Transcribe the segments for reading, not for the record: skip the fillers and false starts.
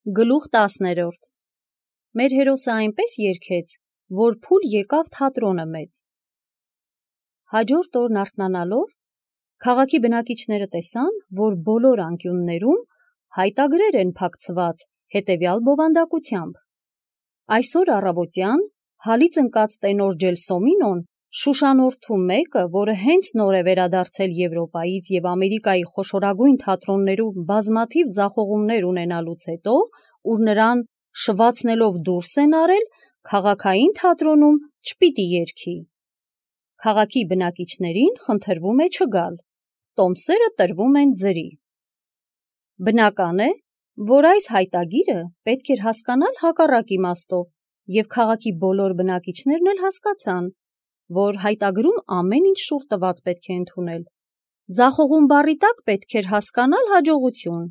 Գլուխ 10. Մեր հերոսը այնպես երգեց, որ փուլ եկավ թատրոնը մեծ։ Հաջորդ օրն արթնանալով, քաղաքի բնակիչները տեսան, որ բոլոր անկյուններում հայտագրեր են փակցված հետևյալ բովանդակությամբ. այսօր առավոտյան հալից ընկած տենոր Ջելսոմինոն շուշանորդու մեկը, որը հենց նոր է վերադարձել Եվրոպայից և Ամերիկայի խոշորագույն թատրոններում բազմաթիվ ձախողումներ ունենալուց հետո, ուր նրան շվացնելով դուրս են արել, քաղաքային թատրոնում չպիտի երգի։ Քաղաքի բնակիչներին խնդրվում է չգալ, տոմսերը տրվում են ձրի։ Բնական է, որ այս հայտագիրը պետք էր հասկանալ հակառակ իմաստով, և քաղաքի բոլոր բնակիչներն էլ հասկացան, որ հայտագրում ամեն ինչ շուռ տված պետք է ընդունել։ Ձախողում բառի տակ պետք էր հասկանալ հաջողություն,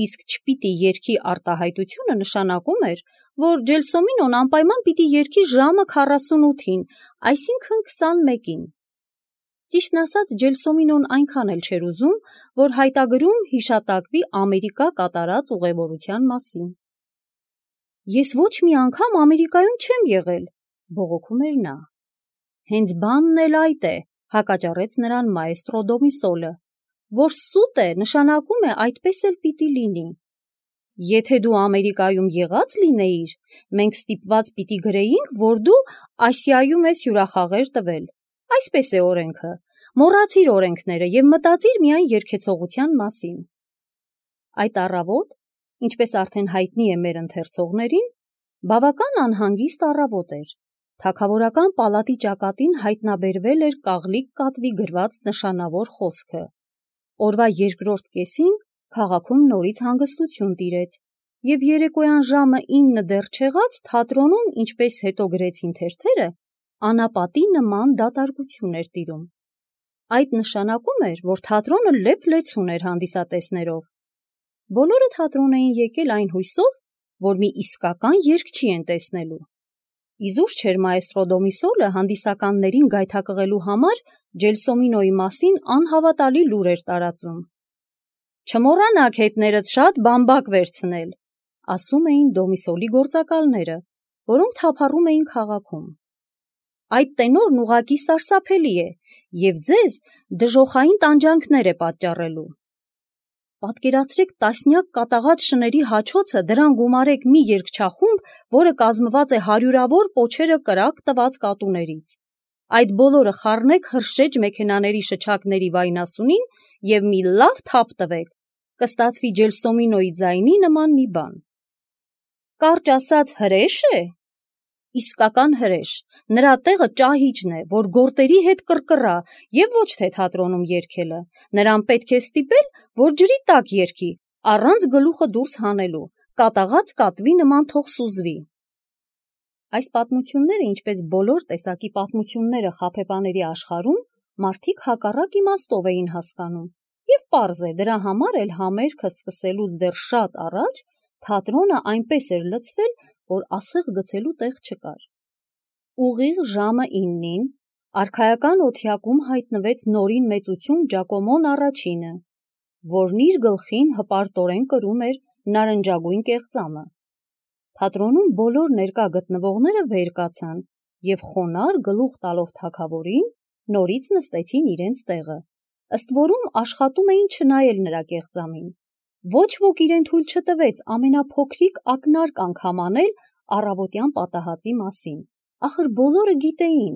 իսկ չպիտի երգի արտահայտությունը նշանակում էր, որ Ջելսոմինոն անպայման պիտի երգի ժամը 48-ին, այսինքն 21-ին։ Ճիշտն ասած, Ջելսոմինոն այնքան էլ չէր ուզում, որ հայտագրում հիշատակվի Ամերիկա կատարած ուղևորության մասին։ Ես ոչ մի անգամ Ամերիկայում չեմ եղել, բողոքում էր նա։ Հենց բանն էլ այդ է, հակաճառեց նրան մաեստրո Դոմիսոլը, որ սուտ է, նշանակում է այդպես էլ պիտի լինի։ Եթե դու Ամերիկայում եղած լինեիր, մենք ստիպված պիտի գրեինք, որ դու Ասիայում ես հյուրախաղեր տվել։ Այսպես է օրենքը, մոռացիր օրենքները և մտածիր միայն երգեցողության մասին։ Այդ առավոտ, ինչպես արդեն հայտնի է մեր ընթերցողներին, բավական անհանգիստ առավոտ էր։ Թագավորական պալատի ճակատին հայտնաբերվել էր կաղլիկ կատվի գրված նշանավոր խոսքը։ Օրվա երկրորդ կեսին քաղաքում նորից հանգստություն տիրեց, և երեկոյան ժամը 9 դեռ չեղած թատրոնում, ինչպես հետո գրեցին թերթերը, անապատի նման դատարկություն էր տիրում։ Այդ նշանակում էր, որ թատրոնը լեփ-լեցուն էր հանդիսատեսներով։ Բոլորը թատրոն էին եկել այն հույսով, որ մի իսկական երգչի են տեսնելու։ Իզուր չէր մաեստրո Դոմիսոլը հանդիսականներին գայթակղելու համար Ջելսոմինոյի մասին անհավատալի լուր էր տարածում։ Չմոռանաք հետներդ շատ բամբակ վերցնել, ասում էին Դոմիսոլի գործակալները, որոնք թափառում էին քաղաքում։ Այդ տենորն ուղղակի սարսափելի է և ձեզ դժոխային տանջանքներ է պատճառելու։ Պատկերացրեք տասնյակ կատաղած շների հաչոցը, դրան գումարեք մի երգչախումբ, որը կազմված է հարյուրավոր պոչերը կրակ տված կատուներից։ Այդ բոլորը խառնեք հրշեջ մեքենաների շչակների վայնասունին և մի լավ թափ տվեք, կստացվի Ջելսոմինոյի ձայնի նման մի բան։ Կարճ ասած, հրե՞շ է։ Իսկական հրեշ, նրա տեղը ճահիճն է, որ գորտերի հետ կռկռա և ոչ թե թատրոնում երգելը, նրան պետք է ստիպել, որ ջրի տակ երգի, առանց գլուխը դուրս հանելու, կատաղած կատվի նման թող սուզվի։ Այս պատմությունները, ինչպես բոլոր տեսակի պատմությունները խաբեբաների աշխարհում, մարդիկ հակառակ իմաստով էին հասկանում, և պարզ է, դրա համար էլ համերգը սկսելուց դեռ շատ առաջ թատրոնը այնպես էր լցվել, որ ասեղ գցելու տեղ չկար։ Ուղիղ ժամը 9-ին արքայական օթյակում հայտնվեց նորին մեծություն Ջակոմոն առաջինը, որն իր գլխին հպարտորեն կրում էր նարնջագույն կեղծամը։ Թատրոնում բոլոր ներկա գտնվողները վեր կացան և խոնարհ գլուխ տալով թագավորին նորից նստեցին իրենց տեղը, ըստ որում աշխատում էին չնայել նրա կեղծամին։ Ոչ ոք իրեն թույլ չտվեց ամենափոքրիկ ակնարկ անգամ անել առավոտյան պատահածի մասին։ Ախր բոլորը գիտեին,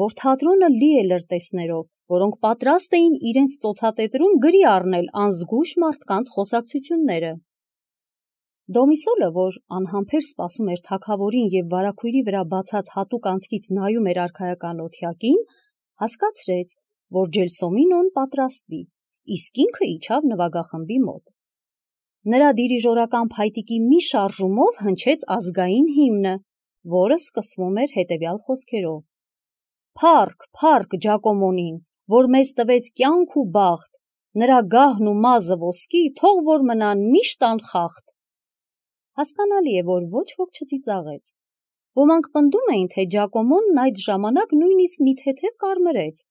որ թատրոնը լի է լրտեսներով, որոնք պատրաստ էին իրենց ծոցատետրում գրի առնել անզգույշ մարդկանց խոսակցությունները։ Դոմիսոլը, որ անհամբեր սպասում էր թագավորին և վարագույրի վրա բացած հատուկ անցքից նայում էր արքայական օթյակին, հասկացրեց, որ Ջելսոմինոն պատրաստվի, իսկ ինքը իջավ նվագախմբի մոտ։ Նրա դիրիժորական փայտիկի մի շարժումով հնչեց ազգային հիմնը, որը սկսվում էր հետևյալ խոսքերով. «Փառք, փառք Ջակոմոնին, որ մեզ տվեց կյանք ու բախտ, նրա գահն ու մազը ոսկի, թող որ մնան միշտ անխախտ»։ Հասկանալի է, որ ոչ ոք չծիծաղեց։ Ոմանք պնդում էին, թե Ջակոմոնն այդ ժամանակ նույնիսկ մի թեթև կարմրեց,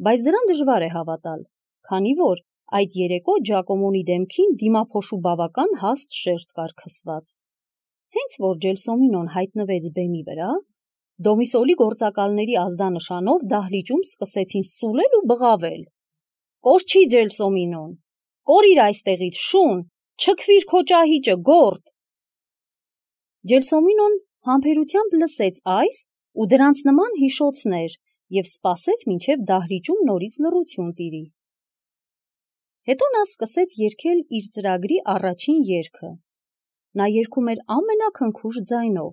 բայց դրան դժվար է հավատալ, քանի որ Այդ երեկո Ջակոմոնի դեմքին դիմափոշու բավական հաստ շերտ կար քսված։ Հենց որ Ջելսոմինոն հայտնվեց բեմի վրա, Դոմիսոլի գործակալների ազդանշանով դահլիճում սկսեցին սուլել ու բղավել. «Կորչի Ջելսոմինոն, կորիր այստեղից, շուն, չքվիր քո ճահիճը, գործ»։ Ջելսոմինոն համբերությամբ լսեց այս ու դրանց նման հիշոցներ և սպասեց, մինչև դահլիճում նորից լռություն տիրի։ Հետո նա սկսեց երգել իր ծրագրի առաջին երգը։ Նա երգում էր ամենաքնքուշ ձայնով,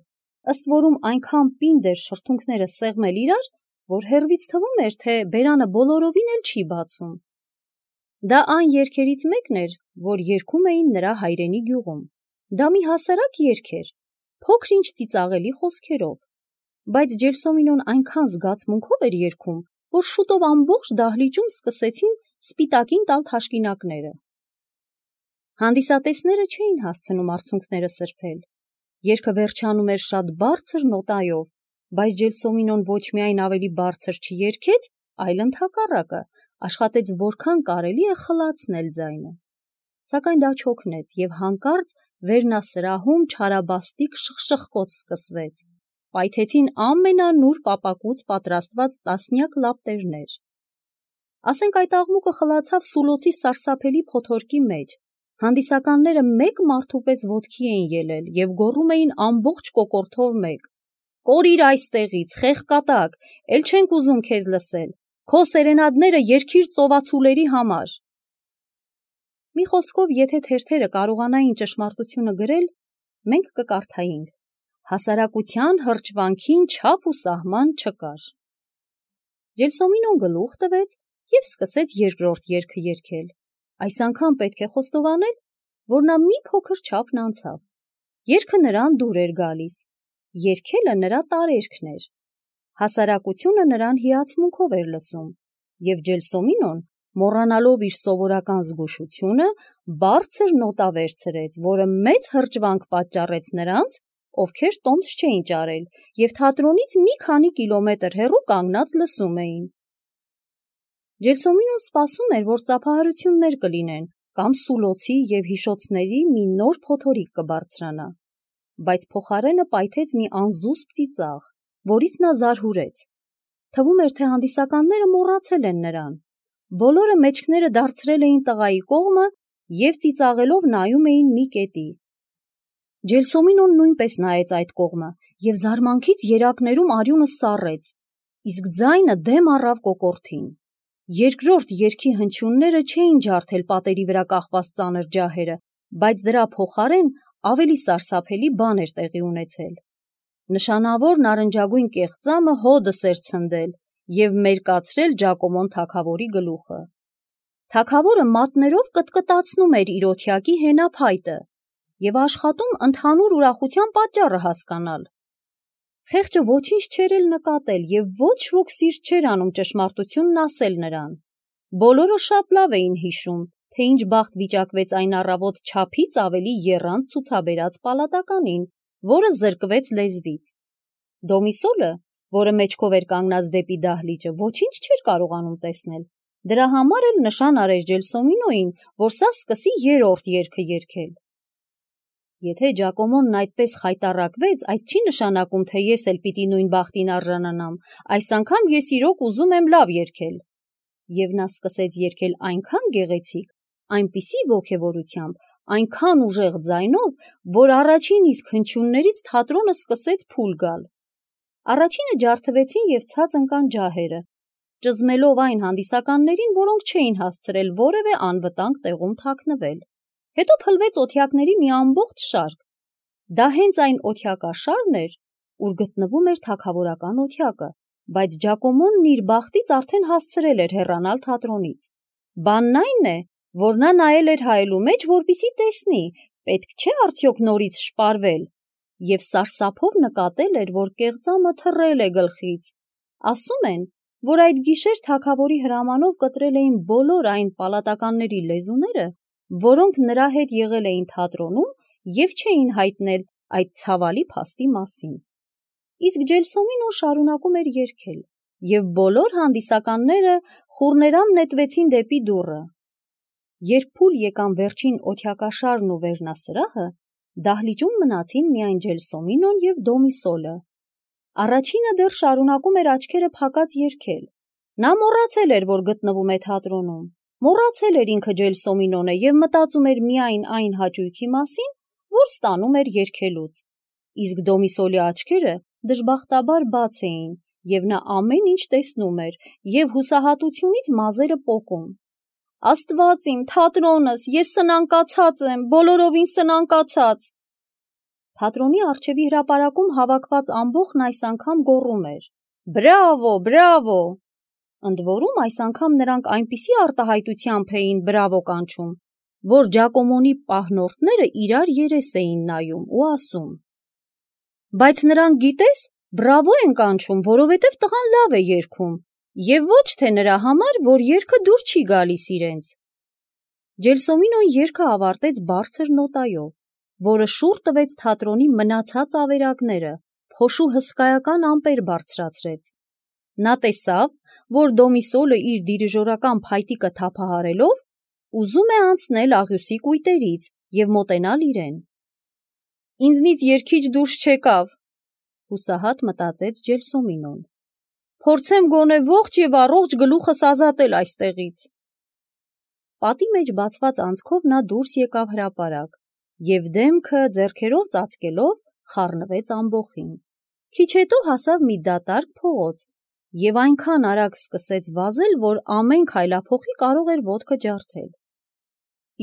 ըստ որում այնքան պինդ էր շրթունքները սեղմել իրար, որ հեռվից թվում էր, թե բերանը բոլորովին էլ չի բացում։ Դա այն երգերից մեկն էր, որ երգում էին նրա հայրենի գյուղում։ Դա մի հասարակ երգ էր, փոքր-ինչ ծիծաղելի խոսքերով, բայց Ջելսոմինոն այնքան զգացմունքով էր երգում, որ շուտով ամբողջ դահլիճում սկսեցին սպիտակին տալ թաշկինակները։ Հանդիսատեսները չէին հասցնում արցունքները սրբել։ Երգը վերջանում էր շատ բարձր նոտայով, բայց Ջելսոմինոն ոչ միայն ավելի բարձր չերգեց, այլ ընդհակառակը աշխատեց որքան կարելի է խլացնել ձայնը։ Սակայն դա չօգնեց, և հանկարծ վերնասրահում չարաբաստիկ շխշխկոց սկսվեց։ Պայթեցին ամենանուրբ ապակուց պատրաստված տասնյակ լապտերներ։ Ասենք այդ աղմուկը խլացավ սուլոցի սարսափելի փոթորկի մեջ։ Հանդիսականները մեկ մարդու պես ոտքի էին ելել և գոռում էին ամբողջ կոկորդով մեկ. «Կորիր այստեղից, խեղկատակ, էլ չենք ուզում քեզ լսել, քո սերենադները երգիր ծովացուների համար»։ Մի խոսքով, եթե թերթերը կարողանային ճշմարտությունը գրել, մենք կկարդայինք. հասարակության հրճվանքին չափ ու սահման չկար։ Ջելսոմինոն գլուխ տվեց և սկսեց երկրորդ երգը երգել։ Այս անգամ պետք է խոստովանել, որ նա մի փոքր չափն անցավ։ Երգը նրան դուր էր գալիս, երգելը նրա տարերքն էր։ Հասարակությունը նրան հիացմունքով էր լսում, և Ջելսոմինոն, մոռանալով իր սովորական զգուշությունը, բարձր նոտա վերցրեց, որը մեծ հրճվանք պատճառեց նրանց, ովքեր տոմս չէին ճարել և թատրոնից մի քանի կիլոմետր հեռու կանգնած լսում էին։ Ջելսոմինոն սպասում էր, որ ծափահարություններ կլինեն կամ սուլոցի և հիշոցների մի նոր փոթորիկ կբարձրանա, բայց փոխարենը պայթեց մի անզուսպ ծիծաղ, որից նա զարհուրեց։ Թվում էր, թե հանդիսականները մոռացել են նրան։ Բոլորը մեջքները դարձրել էին տղայի կողմը և ծիծաղելով նայում էին մի կետի։ Ջելսոմինոն նույնպես նայեց այդ կողմը և զարմանքից երակներում արյունը սառեց, իսկ ձայնը դեմ առավ կոկորդին։ Երկրորդ երգի հնչյունները չէին ջարդել պատերի վրա կախված ծանր ջահերը, բայց դրա փոխարեն ավելի սարսափելի բան էր տեղի ունեցել։ Նշանավոր նարնջագույն կեղծամը հոդս էր ցնդել և մերկացրել Ջակոմոն թագավորի գլուխը։ Թագավորը մատներով կտկտացնում էր իր օթյակի հենափայտը և աշխատում ընդհանուր ուրախության պատճառը հասկանալ։ Խեղճը ոչինչ չէր էլ նկատել և ոչ ոք սիրտ չէր անում ճշմարտությունն ասել նրան։ Բոլորը շատ լավ էին հիշում, թե ինչ բախտ վիճակվեց այն առավոտ չափից ավելի եռանդ ցուցաբերած պալատականին, որը զրկվեց լեզվից։ Դոմիսոլը, որը մեջքով էր կանգնած դեպի դահլիճը, ոչինչ չէր կարողանում տեսնել։ Դրա համար էլ նշան արեց Ջելսոմինոյին, որ սա սկսի երրորդ երգը երգել։ Եթե Ջակոմոնն այդպես խայտառակվեց, այդ չի նշանակում, թե ես էլ պիտի նույն բախտին արժանանամ, այս անգամ ես իրոք ուզում եմ լավ երգել։ Եվ նա սկսեց երգել այնքան գեղեցիկ, այնպիսի ոգևորությամբ, այնքան ուժեղ ձայնով, որ առաջին իսկ հնչյուններից թատրոնը սկսեց փուլ գալ։ Առաջինը ջարդվեցին և ցած ընկան ջահերը, ճզմելով այն հանդիսականներին, որոնք չէին հասցրել որևէ անվտանգ տեղում թաքնվել։ Հետո փլվեց օթյակների մի ամբողջ շարք։ Դա հենց այն օթյակաշարն էր, ուր գտնվում էր թագավորական օթյակը, բայց Ջակոմոնն իր բախտից արդեն հասցրել էր հեռանալ թատրոնից։ Բանն այն է, որ նա նայել էր հայելու մեջ, որպեսզի տեսնի, պետք չէ արդյոք նորից շպարվել, և սարսափով նկատել էր, որ կեղծամը թռել է գլխից։ Ասում են, որ այդ գիշեր թագավորի հրամանով կտրել էին բոլոր այն պալատականների լեզուները, որոնք նրա հետ եղել էին թատրոնում և չէին հայտնել այդ ցավալի փաստի մասին։ Իսկ Ջելսոմինոն շարունակում էր երգել, և բոլոր հանդիսականները խուռներամ նետվեցին դեպի դուռը։ Երբ փուլ եկան վերջին օթյակաշարն ու վերնասրահը, դահլիճում մնացին միայն Ջելսոմինոն և Դոմիսոլը։ Առաջինը դեռ շարունակում էր աչքերը փակած երգել։ Նա մոռացել էր, որ գտնվում է թատրոնում, մոռացել էր ինքը Ջելսոմինոն է և մտածում էր միայն այն հաճույքի մասին, որ ստանում էր երգելուց։ Իսկ Դոմիսոլի աչքերը դժբախտաբար բաց էին, և նա ամեն ինչ տեսնում էր և հուսահատությունից մազերը պոկում։ Աստված իմ, թատրոնս, ես սնանկացած եմ, բոլորովին սնանկացած։ Թատրոնի առջևի հրապարակում հավաքված ամբոխն այս անգամ գոռում էր. «Բրավո, բրավո»։ Ընդ որում այս անգամ նրանք այնպիսի արտահայտությամբ էին բրավո կանչում, որ Ջակոմոնի պահնորդները իրար երես էին նայում ու ասում. «Բայց նրանք, գիտես, բրավո են կանչում, որովհետև տղան լավ է երգում, և ոչ թե նրա համար, որ երգը դուր չի գալիս իրենց»։ Ջելսոմինոն երգը ավարտեց բարձր նոտայով, որը շուռ տվեց թատրոնի մնացած ավերակները, փոշու հսկայական ամպեր բարձրացրեց։ Նա տեսավ, որ Դոմիսոլը իր դիրիժորական փայտիկը թափահարելով ուզում է անցնել աղյուսի կույտերից և մոտենալ իրեն։ «Ինձնից երգիչ դուրս չեկավ», հուսահատ մտածեց Ջելսոմինոն։ «Փորձեմ գոնե ողջ և առողջ գլուխս ազատել այստեղից»։ Պատի մեջ բացված անցքով նա դուրս եկավ հրապարակ և դեմքը ձեռքերով ծածկելով խառնվեց ամբոխին։ Քիչ հետո հասավ մի դատարկ փողոց և այնքան արագ սկսեց վազել, որ ամեն քայլափոխի կարող էր ոտքը ջարդել։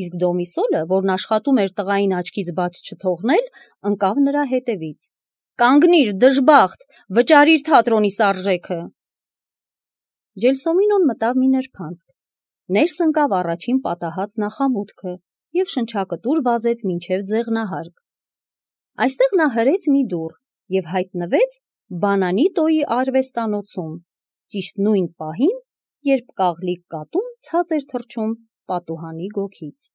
Իսկ Դոմիսոլը, որն աշխատում էր տղային աչքից բաց չթողնել, ընկավ նրա հետևից։ «Կանգնիր, դժբախտ, վճարիր թատրոնիս արժեքը»։ Ջելսոմինոն մտավ մի նրբանցք, ներս ընկավ առաջին պատահած նախամուտքը և շնչակտուր վազեց մինչև ձեղնահարկ։ Այստեղ նա հրեց մի դուռ և հայտնվեց Բանանիտոյի արվեստանոցում, ճիշտ նույն պահին, երբ կաղլիկ կատուն ցած էր թռչում պատուհանի գոգից։